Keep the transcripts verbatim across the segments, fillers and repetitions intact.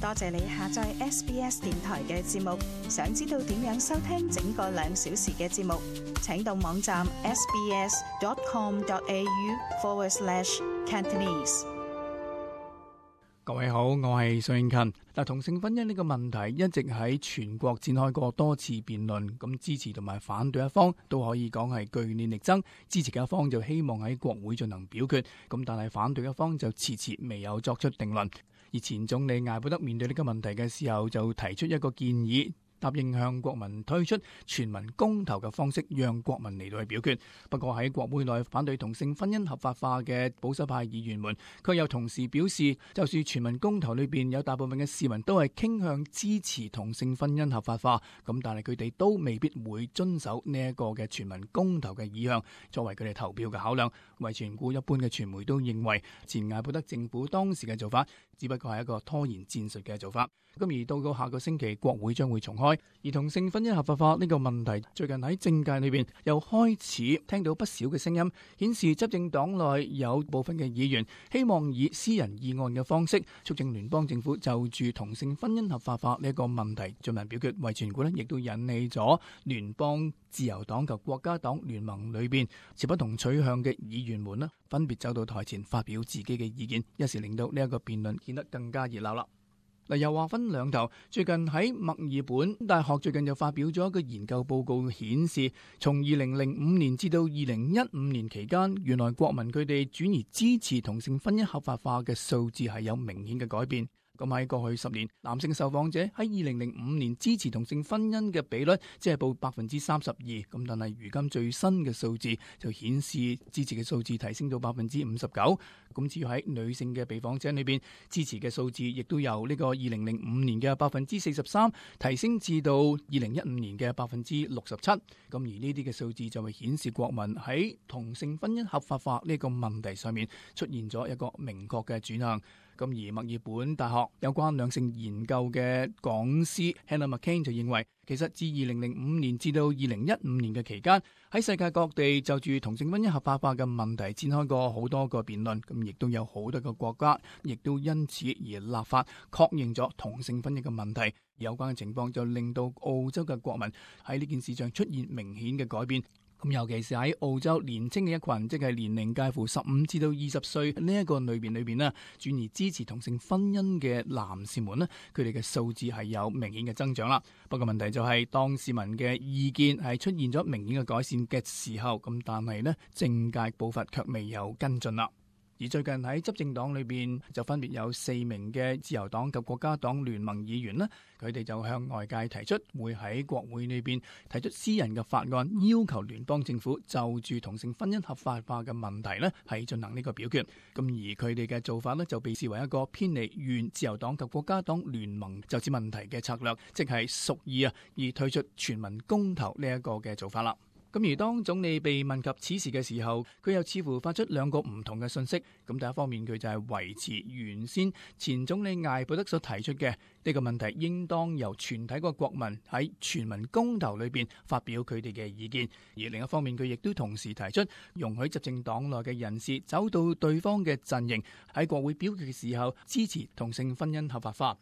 多謝你下載 S B S 電台嘅節目。想知道點樣收聽整個兩小時嘅節目，請到網站 sbs.com.au forward slash Cantonese。各位好，我係蘇英勤。嗱，同性婚姻呢個問題一直喺全國展開過多次辯論，咁支持同埋反對一方都可以講係據理力爭。支持嘅一方就希望喺國會進行表決，咁但係反對一方就遲遲未有作出定論。而前總理艾伯德面對呢個問題嘅時候，就提出一個建議，答應向國民推出全民公投嘅方式，讓國民嚟到去表決。不過喺國會內反對同性婚姻合法化嘅保守派議員們，卻又同時表示，就算全民公投裏邊有大部分嘅市民都係傾向支持同性婚姻合法化，咁但係佢哋都未必會遵守呢一個嘅全民公投嘅意向作為佢哋投票嘅考量。為全股一般嘅傳媒都認為，前艾伯德政府當時嘅做法只不過係一個拖延戰術嘅做法。咁而到到下個星期，國會將會重開，而同性婚姻合法化呢個問題，最近喺政界裏邊又開始聽到不少嘅聲音，顯示執政黨內有部分嘅議員希望以私人議案嘅方式，促進聯邦政府就住同性婚姻合法化呢個問題進行表決。為全股呢亦都引起咗聯邦自由黨及國家黨聯盟裏邊持不同取向嘅議員們呢，分別走到台前發表自己嘅意見，一時令到呢一個辯論顯得更加熱鬧啦。嗱，又話分兩頭。最近喺墨爾本大學最近就發表咗一個研究報告，顯示從二零零五年至到二零一五年期間，原來國民佢哋轉而支持同性婚姻合法化嘅數字係有明顯嘅改變。咁喺過去十年，男性受訪者喺二零零五年支持同性婚姻嘅比率即係報百分之三十二，咁但係如今最新嘅數字就顯示支持嘅數字提升到百分之五十九。咁至於喺女性嘅被訪者裏邊，支持嘅數字亦都由呢個二零零五年嘅百分之四十三提升至到二零一五年嘅百分之六十七。咁而呢啲嘅數字就會顯示國民喺同性婚姻合法化呢個問題上面出現咗一個明確嘅轉向。咁而墨爾本大學有關兩性研究嘅講師 Hannah McCain 就認為，其實自二零零五年至到二零一五年嘅期間，喺世界各地就住同性婚姻合法化嘅問題展開過好多個辯論，咁亦都有好多個國家亦都因此而立法確認咗同性婚姻嘅問題。有關嘅情況就令到澳洲嘅國民喺呢件事上出現明顯嘅改變。咁尤其是喺澳洲年青嘅一群，即係年齡介乎十五至到二十歲呢一個類別裏邊呢，轉而支持同性婚姻嘅男士們呢，佢哋嘅數字係有明顯嘅增長啦。不過問題就係、是、當市民嘅意見係出現咗明顯嘅改善嘅時候，咁但係呢政界步伐卻未有跟進啦。而最近喺執政黨裏邊就分別有四名嘅自由黨及國家黨聯盟議員呢，佢哋就向外界提出會喺國會裏邊提出私人嘅法案，要求聯邦政府就住同性婚姻合法化嘅問題呢係進行呢個表決。咁而佢哋嘅做法呢，就被視為一個偏離原自由黨及國家黨聯盟就此問題嘅策略，即係屬意啊而推出全民公投呢一個嘅做法啦。咁而當總理被問及此事嘅時候，佢又似乎發出兩個唔同嘅信息。咁第一方面，佢就係維持原先前總理艾伯德所提出嘅呢個問題，應當由全體個國民喺全民公投裏邊發表佢哋嘅意見。而另一方面，佢亦都同時提出容許執政黨內嘅人士走到對方嘅陣營，喺國會表決嘅時候支持同性婚姻合法化。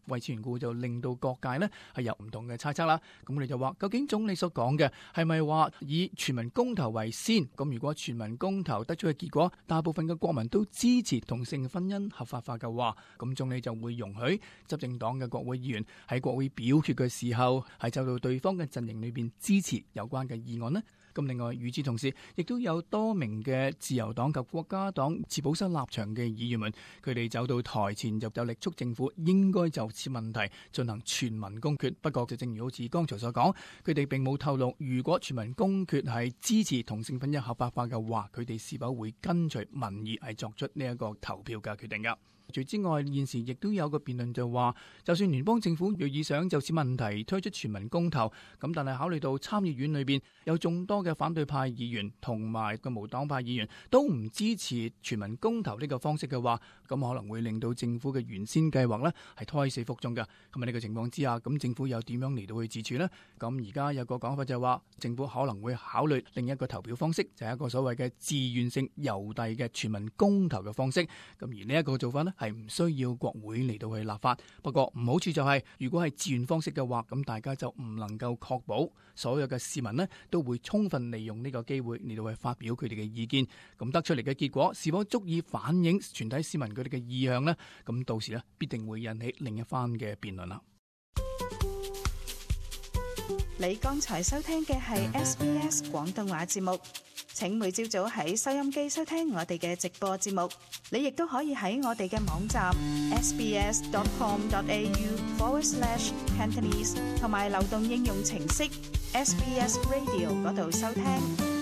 為此緣故就令到各界呢係有唔同嘅猜測啦。咁我哋就話，究竟總理所講嘅係咪話以全民公投為先？咁如果全民公投得出嘅結果，大部分嘅國民都支持同性婚姻合法化嘅話，咁總理就會容許執政黨嘅國會議員喺國會表決嘅時候係走到對方嘅陣營裏邊支持有關嘅議案呢？咁另外，與此同時，亦都有多名嘅自由黨及國家黨持保守立場嘅議員們，佢哋走到台前就就力促政府應該就此問題進行全民公決。不過就正如好似剛才所講，佢哋並冇透露，如果全民公決係支持同性婚姻合法化嘅話，佢哋是否會跟隨民意係作出呢一個投票嘅決定㗎。除之外，現時亦都有個辯論就話，就算聯邦政府若意想就此問題推出全民公投，咁但係考慮到參議院裏邊有眾多嘅反對派議員同埋個無黨派議員都唔支持全民公投呢個方式嘅話，咁可能會令到政府嘅原先計劃呢係胎死腹中嘅。咁喺呢個情況之下，咁政府又點樣嚟到去自處呢？咁而家有個講法就係話，政府可能會考慮另一個投票方式，就係一個所謂嘅自願性郵遞嘅全民公投嘅方式。咁而呢一個做法呢，係唔需要國會嚟到去立法。不過唔好處就係、是，如果係自願方式嘅話，咁大家就唔能夠確保所有嘅市民呢都會充分利用呢個機會嚟到去發表佢哋嘅意見。咁得出嚟嘅結果是否足以反映全體市民佢哋嘅意向呢？咁到時呢必定會引起另一番嘅辯論啦。你剛才收聽嘅係 S B S 廣東話節目，請每朝早喺收音機收聽我哋嘅直播節目。你亦都可以喺我哋嘅網站 sbs.com.au forward slash Cantonese 同埋流動應用程式 S B S Radio 嗰度收聽。